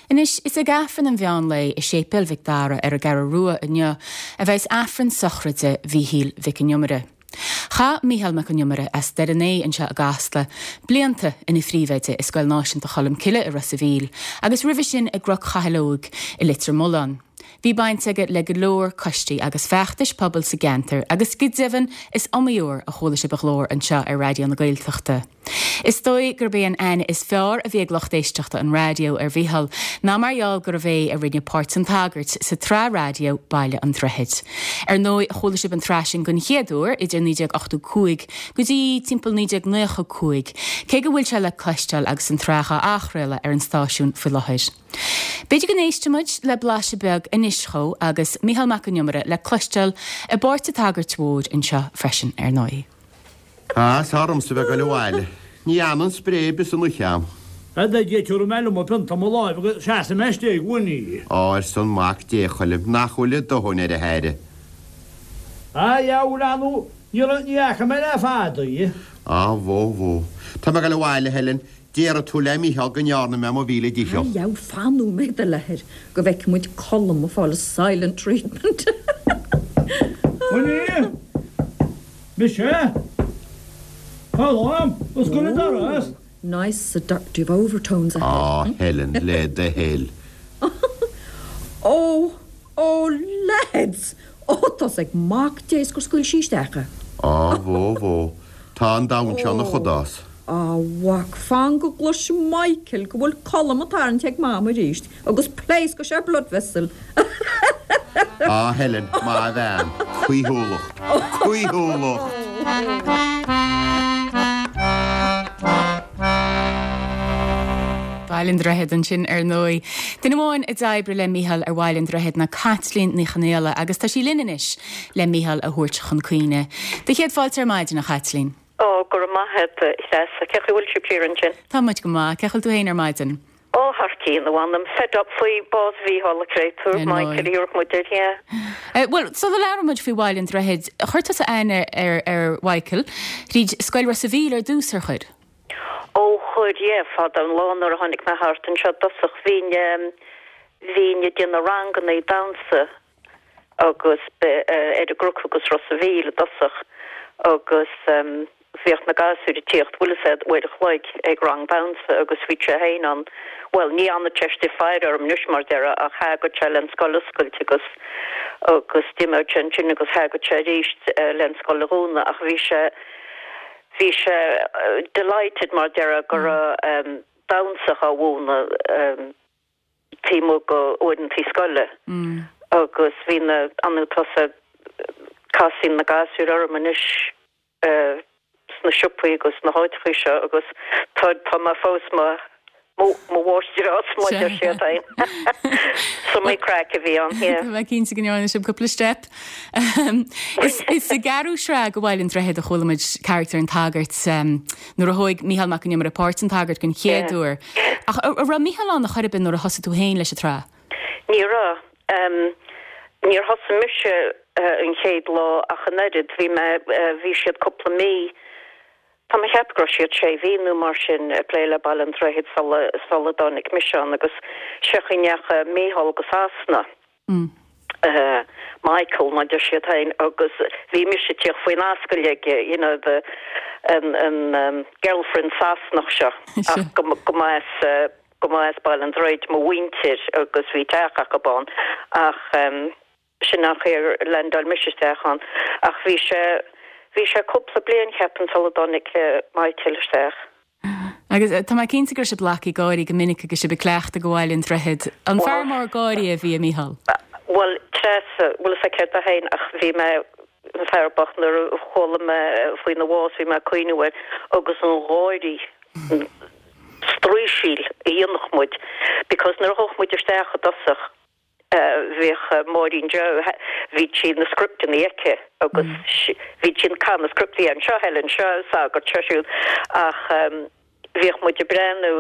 Anois, is ag Aifreann an mheán lae i Séipéal Mhic Dara ar an gCeathrú Rua inniu a bheas Aifreann sochraide Mhíchíl Mhic an Iomaire. Chaith Mícheál Mac an Iomaire, as Doire an Aodha anseo i gCasla, blianta ina phríomhoide i Scoil Náisiúnta Cholmcille i Ros a' Mhíl agus roimhe sin i gCnoc Chathail Óig i Leitir Mealláin. Bhí baint aige le go leor coistí agus feachtais pobail sa gceantar agus go deimhin is iomaí uair a chuala sibh a ghlór anseo ar Raidió na Gaeltachta. Is dóigh gurb é an aithne is fearr a bhí ag lucht éisteachta an raidió ar Mhícheál ná mar gheall gurbh é a rinne páirt an tsagairt sa tsraith raidió Baile an Droichid. Ar ndóigh, chuala sibh an tsraith sin den chéad uair idir 1985 go dtí timpeall 1995, cé go bhfuil sé le cloisteáil agus an tsraith á athchraoladh ar an stáisiún faoi láthair. B'fhéidir go n-éistfidh muid le blaiseadh beag anois dhó agus Mícheál Mac an Iomaire le cloisteáil i bpáirt an tsagairt mhóir anseo freisin, ar ndóigh. Á, is ormsa a bheith ag goil abhaile. Ní fhanann spré ar bith san uisce a'm. A Dhaidí, tabharfaidh mé liom an pionta i mo láimh agus seasfaidh mé istigh i gcónaí. Á, arsa an mac, Dé a Choilm, nach bhfuil a dóthain ar a haire. A dheabhail, a nó ní raibh, ní fhaca mé le fada í. Á, bhó, bhó. Tá mé ag goil abhaile, a Helen. Déarfaidh tú le Mícheál go ndearna mé mo mhíle dícheall. A dheabhail, fan nóiméad, a Leathair, go bhfeicfidh muid Colm ag fáil a silent treatment. Winnie! Mise? Colm, oscail an doras! Ooh, nice seductive overtones ahead. Á, Helen, le do thoil. Ó, ó, lads! Ó, tá's ag Mac Dé is gur scaoil sí isteach é. Á, bhó, bhó, tá an domhan seo ina chudás. A mhac, fan go gcloisfidh Michael go bhfuil Colm ag tarraingt ag Mam arís agus pléascfaidh sé blood vessel. Á Helen, maith bhean, caoithiúlacht, caoithiúlacht! Baile an Droichid ansin ar ndóigh. Duine amháin a d'oibrigh le Mícheál ar Bhaile an Droichid ná Caitlín Ní Chonaola agus tá sí linn anois le Mícheál a thabhairt chun cuimhne. Do chéad fáilte ar maidin, a Chaitlín. Ó, go raibh maith a't, a Threasa. Cén chaoi a bhfuil sibh siar ansin? Tá muid go maith. Cén chaoi a bhfuil tú féin ar maidin? Ó, thar cionn, a mh'anam. Fed up faoi bás Mhícheáil, a chréatúr. Ar Michael a ndóigh. thabharfadh muid air, yeah. Bhuel, sula labhrann muid faoi Bhaile an Droichid, chuir tusa aithne ar ar Mhichael thríd Scoil Ros a' Mhíl ar dtús, ar chuir? Ó, chuir, yeah. Fada an lá nuair a tháinig mé thart anseo i dtosach, bhínn, bhínn ag déanamh rangannaí damhsa agus ar an gCnoc agus Ros a' Mhíl i dtosach agus bhíodh na gasúir ag tíocht, bhfuil fhios a'd, uair a chloig ag rang damhsa agus bhí sé féin ann, bhuel ní fhanadh sé istigh faire orm anois mar déarfá ach thagadh sé len scoil a oscailt agus agus d'imeodh sé ansin agus thagadh sé arís len scoil a dhúnadh ach bhí sé bhí sé delighted mar déarfá go raibh damhsa á mhúineadh. taobh amuigh de uaireantaí scoile agus bhí na, an tusa, casann na gasúir orm anois sna siopaí agus sna háiteachaí seo agus tá, tá mé fós mo, mo, mo mháistreás mar a deir siad féin. Is iomaí craic a bhí ann, yeah. Tá mé cinnte go ndearna sibh cúpla steip. Is sa gceathrú sraith de Bhaile an Droichid a chuala muid carachtar an tsagairt nuair a thóig Mícheál Mac an Iomaire páirt an tsagairt den chéad uair. Ach an raibh Mícheál ann a chor ar bith nuair a thosaigh tú féin leis an tsraith? Ní raibh. Níor thosaigh mise an chéad lá ach an oiread. Bhí mé, bhí siad cúpla mí, tá mé ag ceapadh go raibh siad sé mhí nó mar sin ag plé le Baile an Droichid sula, sula dtáinig mise ann agus sé an chaoi a ndeachaigh Mícheál go Sasana. Michael mar deir siad féin agus bhí mise ag tíocht faoin ascaill aige you know the an an girlfriend Sasanach seo ach go go mba as go mba as Baile an Droichid mo mhuintir agus bhí teach acu ann ach sin an chaoi ar landáil mise isteach ann ach bhí sé bhí sé cúpla bliain cheapfainn sula dtáinig Michael isteach. Agus tá mé cinnte go raibh sibh ag glacadh gáirí go minic agus sibh ag cleachtadh do Bhaile an Droichid. An fear mór gáirí a bhí i Mícheál? Bhuel, Treasa, bhfuil fhios a'd céard é féin ach bhí mé, an fear bocht, nuair a chuala mé faoina bhás bhí mé ag cuimhniú air agus an gáirí, an straoisíl a dhéanfadh muid because nuair a ghabhadh muid isteach i dtosach, Bhíodh Máirín Joe, bhí sí na scripteanna aici agus bhí sí ag caitheamh na scriptí anseo, Helen, seo sagart, seo siúd ach bhíodh muid ag breathnú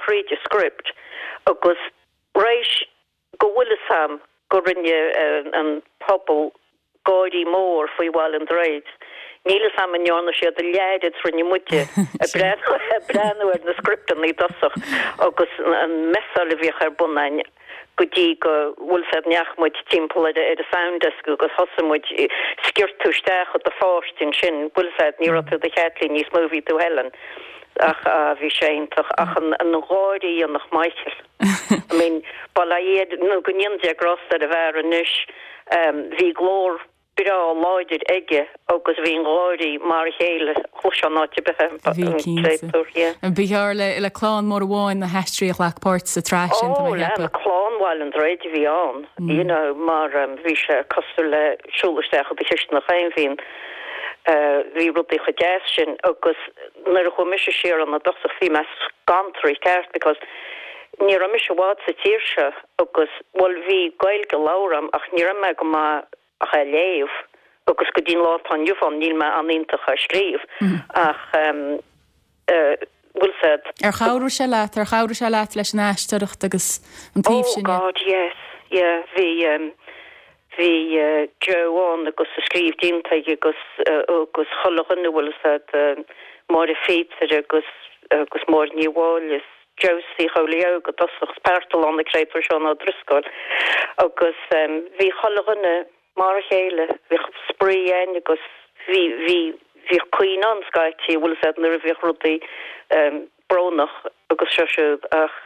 thríd an script agus réis go bhfuil fhios a'm go rinne an pobal gáirí mór faoi Bhaile an Droichid. Níl fhios a'm an ndearna siad a leath oiread 's rinne muide ag breathnú ag breathnú ar na scripteanna i dtosach agus an messáil a bhíodh ar bun a'inn go dtí go bhfuil 's a'd ndeachaigh muid timpeall ar ar an sound desk agus thosaigh muid sciorr tú isteach i do pháirt ansin bhfuil 's a'd ní raibh tú do Chaitlín níos mó bhí tú Helen ach ah bhí sé iontach ach an an gháire a dhéanfadh Michael I mean bail ó Dhia air nó go ndéana Dia grásta ar an bhfear anois bhí glór breá láidir aige agus bhí an gáirí mar a chéile, chloisfeá in áit ar bith é, Bhí, an cinnte. créatúr, yeah. Ba ghearr le, le clann mór amháin na haisteoirí a ghlac páirt sa tsraith sin, tá Ó, mé a le, cheapadh. clann Bhaile an Droichid a bhí ann, you know, mar bhí sé cosúil le siúl isteach i do chisteanach féin, bhí an, bhí rudaí chomh deas sin agus nuair a chuaigh mise siar ann i dtosach bhí mé scantraithe ceart because ní raibh mise i bhfad sa tír seo agus, bhuel, bhí Gaeilge labhartha a'm ach ní raibh mé go maith ach á léamh agus go dtí an lá atá inniu ann níl mé an-iontach á scríobh ach bhfuil 's a'd. Ar chabhraigh sé leat, ar chabhraigh sé leat leis an aisteoireacht agus an taobh Oh sin de? God yes, yeah bhí bhí Joe ann agus a scríobh déanta aige agus agus chuile dhuine bhfuil 's a'd Máire Phíotair agus agus Máire Ní Mháille is Josie Chóilí Óg i dtosach, 's Parthalán an créatúr Seán Ó Drisceoil agus bhí chuile dhuine mar a chéile, bhíodh spraoi a'inn agus bhí, bhí, bhíodh caoineadh ann scaití, bhfuil 'fhios a'd, nuair a bhíodh rudaí brónach agus seo siúd ach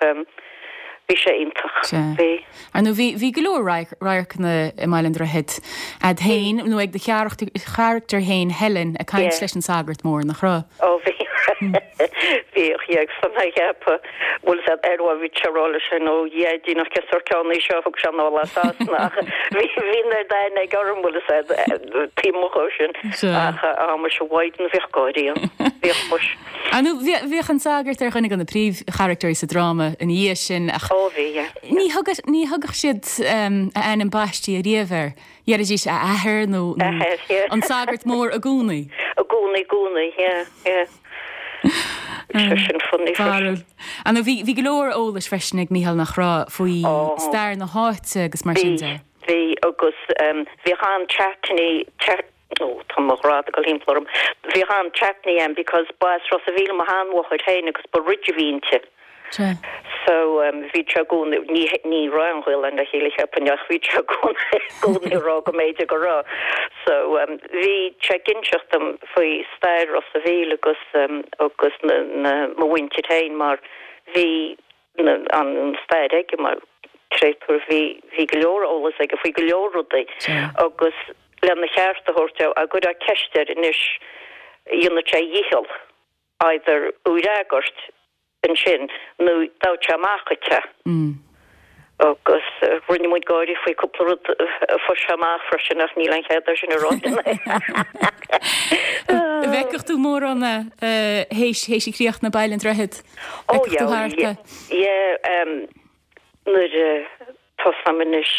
bhí sé iontach, bhí. Ar ndóigh bhí, bhí go leor radharcanna i mBaile an Droichid, a'd féin nó ag do charachtar féin Helen ag caint leis an sagart mór, nach raibh? Ó bhí. Bhíodh, yeah, agus tá mé ag ceapadh, bhfuil 'fhios a'd, ar mhaith bhí sé ag rá leis sin, ó Dhaidí nach cén sórt ceann é seo, thug sé anall as Sasana ach bhí, bhí an oiread aithne aige orm, bhfuil 'fhios a'd, taobh amuigh dhó sin, ach á muise a Mhaighdean bhíodh gáirí ann, bhíodh muis. Ar ndóigh, bhíodh an sagart ar dhuine de na príomhcharachtairí sa dráma ina dhiaidh sin ach Ó bhí, yeah. ní thugadh, ní thugadh siad a ainm baistí ariamh air. Dheiridís a athair nó Athair, yeah. an sagart mór i gcónaí. I gcónaí, i gcónaí, yeah, yeah. Sé sin funny freisin. Barúil. Ar ndóigh bhí, bhí go leor eolais freisin ag Mícheál nach raibh faoi Ó. stair na háite agus mar sin Bhí, de. bhí agus bhíodh an-chaiteannaí, ó tá mo ghrad ag dul thimpeall orm, bhíodh an-chaiteannaí ann because ba as Ros a' Mhíl mo sheanmháthair féin agus ba Ridge a bhí inti. Sea. So bhí sé i gcónaí, ní, ní raibh an Ghaelainn le chéile cheapfainn ach bhí sé i gcónaí, i gcónaí ag rá go mb'fhéidir go raibh. So bhí sé ag inseacht dom faoi stair Ros a' Mhíl agus agus na, na, mo mhuintir féin mar bhí na, an stair aige mar créatúr, bhí, bhí go leor eolas aige faoi go leor rudaí Sea. agus lena cheart a thabhairt dó, dá gcuirfeá ceist air anois, dhéanfadh sé a dhícheall. either í a fhreagairt ansin nó d'fhaigheadh sé amach dhuit é. Agus rinne muid gáirí faoi cúpla rud a fuair sé amach freisin ach níl aon chead é sin a rá. An bhfeicfeadh tú mórán é théis théis críochnú Baile an Droichid? Ó Fheicfeadh tú thart é? yeah, yeah, nuair a tosaím anois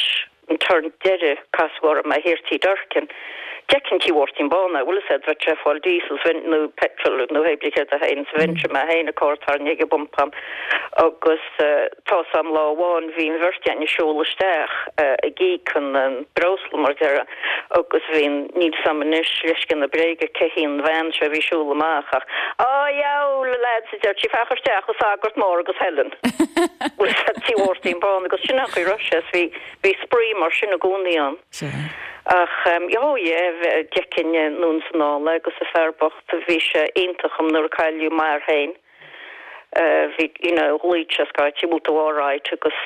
an turn deiridh casadh orm é thiar Tí Durkin. D'fheicfinn Tí Mháirtín Bán é, bhfuil fhios a'd, bheadh sé ag fáil diesel sa nó petrol nó hé brí céard é féin sa bheinnse mé féin ag carr tarraingthe ag an bpumpa agus tá's a'm lá amháin bhí an bheirt againn ag siúl isteach ag íoc an breosla mar déarfá agus bhí an, níl 'fhios a'm anois, leithscéal na bréige, cé hí an bhean seo a bhí ag siúl amach ach, Á, dheabhail, a lads, a deir sí, féach isteach, an sagart mór agus Helen. Bhfuil 'fhios a'd, Tí Mháirtín Bán agus sin an chaoi a raibh sé, is bhí, bhí spraoi mar sin i gcónaí ann. Sea. Ach, oh yeah, d'fheicfinn anonn is anall é agus an fear bocht, bhí sé iontach dom nuair a cailleadh m'athair féin. Bhí, you know, ghlaoigh sé scaití, bhfuil tú alright agus,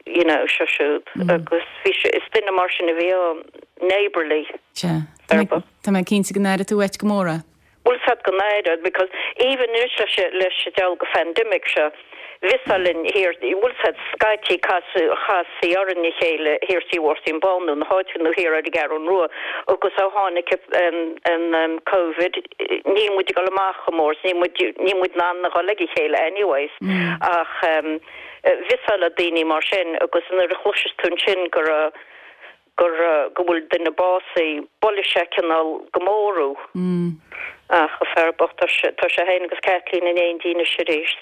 you know, seo siúd agus bhí sé, is duine mar sin a bhí ann, neighbourly. Sea. Tá mé cinnte go n-aireoidh tú uait go mór é. Bhfuil 'fhios a'd go n-aireoidh because even anois leis leis an deabhal de phandemic seo bhí 'fhios linn thiar bhfuil 'fhios a'd scaití casadh chastaí orainn a chéile thiar Tí Mháirtín Bán nó na háiteanna nó thiar ar an gCeathrún Rua agus ó tháinig an an Covid níl muid ag dul amach chomh mór níl muid níl muid in ann a dhul ag a chéile anyways ach bhí 'fhios le daoine mar sin agus nuair a chloiseas tú ansin go raibh gur, go bhfuil duine básaithe, buaileann sé cineál go mór thú. Ach an fear bocht, tá sé, tá sé féin agus Caitlín in éindí anois arís.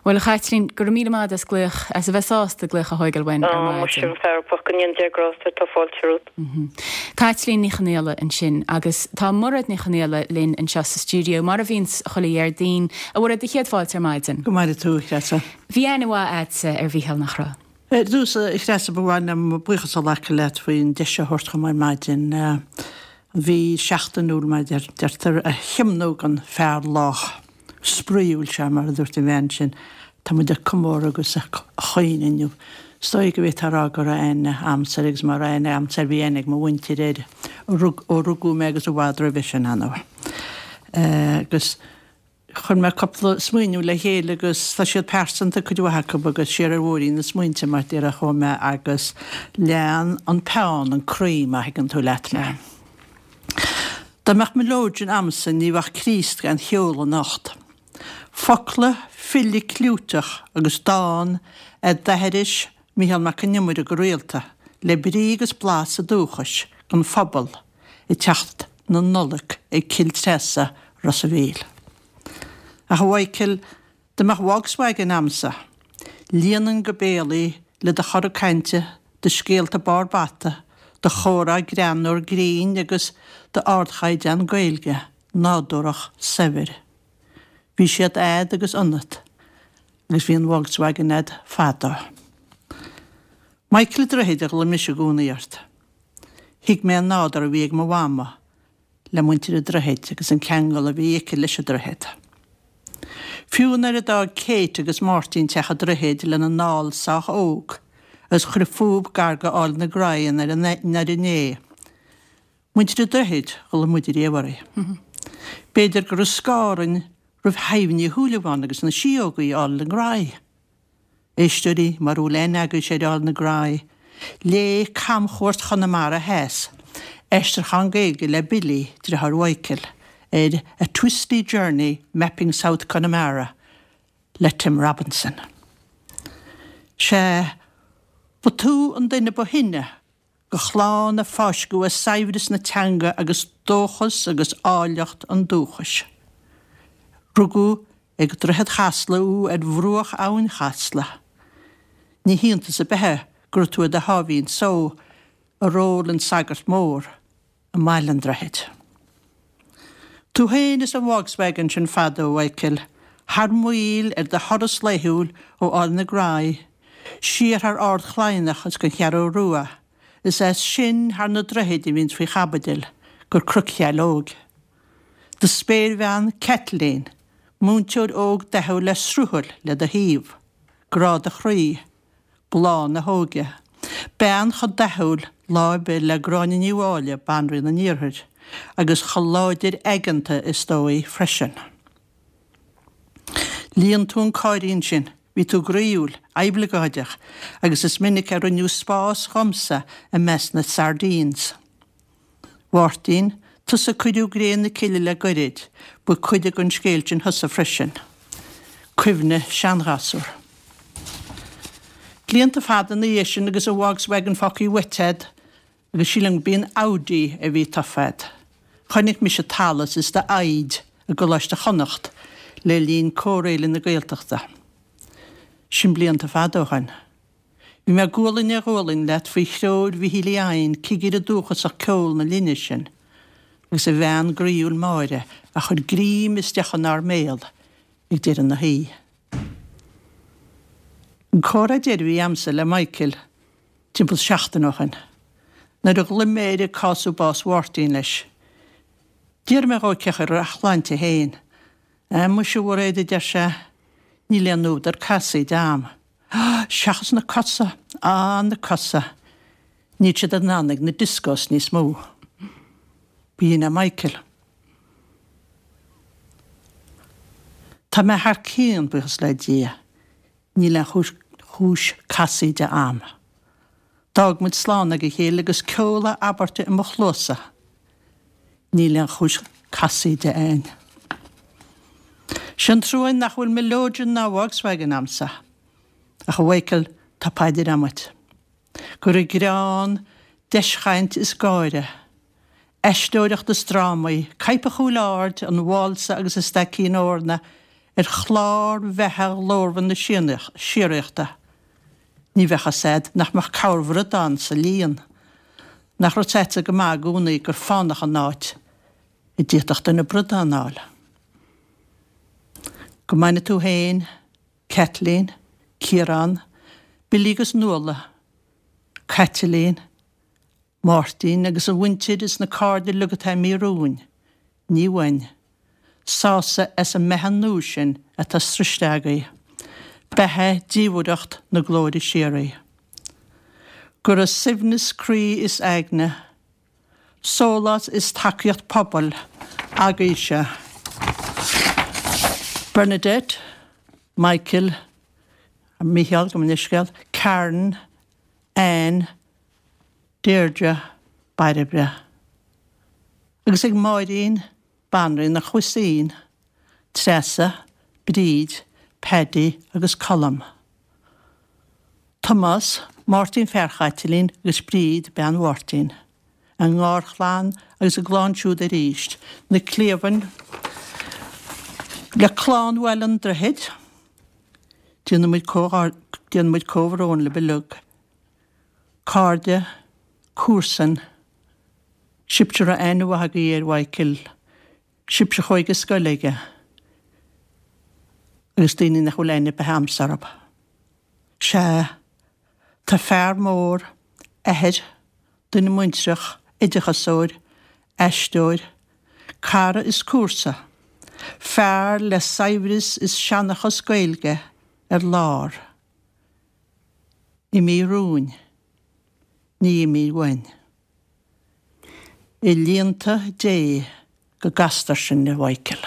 Bhuel, a Chaitlín, go raibh míle maith agat as glaoch, as a bheith sásta glaoch a thóigeáil uainn ar Á, muise, maidin. a fear bocht, go ndéana Dia grásta ort, tá fáilte romhat. Caitlín Ní Chonaola ansin agus tá Mairéad Ní Chonaola linn anseo sa stiúideo, mar a bhíonns chuile Dhéardaoin. A Mhairéad, do chéad fáilte ar maidin. Go maire tú, a Threasa. Bhí aithne mhaith a'dsa ar Mhícheál, nach raibh? Ar dtús, a Threasa, ba mhaith liom buíochas a ghlacadh leat faoin deis seo a thabhairt dhom ar maidin. An mhí sheachtainiúil, mar a deirtear, a thiomnú don fear lách. spraíúil seo, mar a dúirt an bhean sin, tá muid ag comóradh agus ag caoineadh inniu. Is dóigh go bhféadfá a rá go raibh aithne a'msa air agus má raibh aithne a'msa air bhí aithne ag mo mhuintir air ó rugadh mé agus i bhfad roimhe sin, ar ndóigh. Agus chuir mé cúpla smaoineamh le chéile agus tá siad pearsanta, cuid mhaith acu, agus siar ar bhóithrín na smaointe mar déarfá a chuaigh mé agus lean an peann an croí, má thuigeann tú leat mé. Dá mbeadh mileoidean a'msa ní bheadh Críost gan cheol anocht. Focla file clúiteach agus dán a d'aithris Mícheál Mac Con Iomaire go rialta, le brí agus blas a dúchais don phobal ag teacht na Nollag ag Cill Treasa, Ros a' Mhíl. Ach a Mhichael, Dá mbeadh Volkswagen a'msa, líonfainn go béal í le do chora cainte, do scéalta barr bata, do chomhrá greannmhar grinn agus d'ardchaighdeán Gaeilge nádúrach saibhir. Bhí siad a'd agus ionat agus bhí an Volkswagen a'd fadó. Michael a' Droichid a ghlaoigh mise i gcónaí ort. Thuig mé an nádúr a bhí ag mo mhama le muintir an Droichid agus an ceangal a bhí aici leis an Droichead. Fiú nuair a d'fhág Kate agus Máirtín Teach an Droichid lena ndall sách óg agus chuir fúb gar go Áill na Graí i nDoire Né, muintir an Droichid a ghlaoigh muid ariamh orthu. B'fhéidir go raibh scáth orainn roimh Shadhbh Ní Shúilleabháin agus na Síógaí Áill na Graí. Éisteoirí, mura bhfuil aithne agaibhse ar Aill na Graí, léigh Camchuairt Chonamara Theas, aistriúchán Gaeilge le Billy, deartháir Mhichael, ar A Twisty Journey Mapping South Connemara le Tim Robinson. Sea, ba tú an duine ba shine de chlann a fáisceadh i saibhreas na teanga agus dóchas agus áilleacht an dúchais. Rugadh ag Droichead Chasla thú ar bhruach Abhainn Chasla. Ní hiontas ar bith é go raibh tú i do sháimhín só i ról an sagart mór. i mBaile an Droichid. Tú féin is an Volkswagen sin fadó, a Mhichael, thar maoil ar do thuras laethúil ó Aill na Graí, siar thar Ard Chladhnach is go Cheathrú Rua, is as sin thar na droichid a bhíonns faoi chaibidil, go Cnoc Sheileog. Do spéirbhean, Caitlín, múinteoir óg dathúil le sruthail le do thaobh, grá do chroí, bláth na hóige. Bean chomh dathúil lá ar bith le Gráinne Ní Mháille, Banríon an Iarthair, agus chomh láidir aigeanta is dóigh freisin. Líon tú an cáirín sin, bhí tú groíúil, oibleagáideach, agus is minic a rinneadh spás dhomsa i measc na sardines. Mháirtín, tusa a cuireadh gréin na cille le goirid, ba cuid den scéal sin thusa freisin. Cuimhne seanghasúr. Blianta fada ina dhiaidh sin agus an Volkswagen fágtha uait a'd agus sílim go b'í an Audi a bhí tofa a'd. Chonaic mise t'allas is d'fhoighid i gColáiste Chonnacht le linn Cór-Fhéile na Gaeltachta. Sin blianta fada ó shoin. Bhí mé gualainn ar ghualainn leat faoi threoir Mhichíl Uí Eidhin, cigire dúchasach ceoil na linne sin, agus a bhean groíúil Máire a chuir greim is deoch inár mbéal ag deireadh na hoíche. An comhrá deiridh a bhí a'msa le Michael timpeall seachtain ó shoin, nuair a ghlaoigh mé air ag cású bás Mháirtín leis. D'iarr mé dhó cén chaoi a raibh a shláinte féin. Á, muise a Mhairéad, a deir sé, níl aon údar casaoide a'm. Seachas na cosa, á, na cosa, níl siad in ann ag na discos níos mó. B'in é Michael. Tá mé thar cionn, buíochas le Dia. Níl aon chúis, chúis casaoide a'm. D'fhág muid slán ag a chéile agus ceol a abairte i mo chluasa. Níl aon chúis casaoide a'inn. Sé an trua nach bhfuil mileoidean ná Volkswagen a'msa. Ach a Mhichael, tá paidir a'm duit. Go raibh greann, deischaint is gáire, aisteoireacht is drámaí, Coipeadh Chúil Aird, an Válsa agus an Staicín Eorna. ar chlár bheatha ghlórmhar na síoraíochta, ní bheadh fhios a'd nach mbeadh corrbhradán sa líon. Nach raibh 's a'dsa go maith i gcónaí gur fánach an áit a d'fhéadfadh duine bradán a fháil. Go mbaine tú féin, Caitlín, Ciarán, Billy agus Nuala, Caitlín, Máirtín agus an mhuintir is na cairde uilig atá imithe romhainn, ní uainn, sásamh as an mbeatha nua sin atá sroiste agaibh, beatha diamhaireacht na glóire síoraí. Go raibh suaimhneas croí is aigne, sólás is tacaíocht pobail agaibhse. Bernadette, Michael, Mícheál, gabh mo leithscéal, Karen, Anne, Deirdre, Bairbre. Agus ag Máirín, Banríon an Chuisín, Treasa, Bríd, Paddy agus Colm. Tomás, Máirtín fear Chaitlín agus Bríd bean Mháirtín. A ngarchlann agus a gclann siúd arís, na cliamhain le clann Bhaile an Droichid. Déanaimid déanaimid comhbhrón libh uilig. Cairde, comharsain, sibhse a raibh aithne mhaith agaibh ar Mhichael, sibhse a chuaigh i scoil aige, agus daoine nach bhfuil aithne ar bith a'msa orthu. Sea, tá fear mór, athair, duine muintreach, oideachasóir, aisteoir, cara is comharsa, fear le saibhreas is seanchas Gaeilge ar lár. Imithe romhainn, ní imithe uainn. I líonta Dé go gcastar sinn, a Mhichael.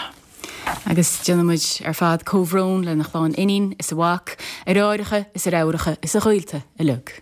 Agus déanaimid ar fad comhbhrón lena chlann iníon is a mhac, a dheartháireacha is a dheirfiúracha is a ghaolta uilig.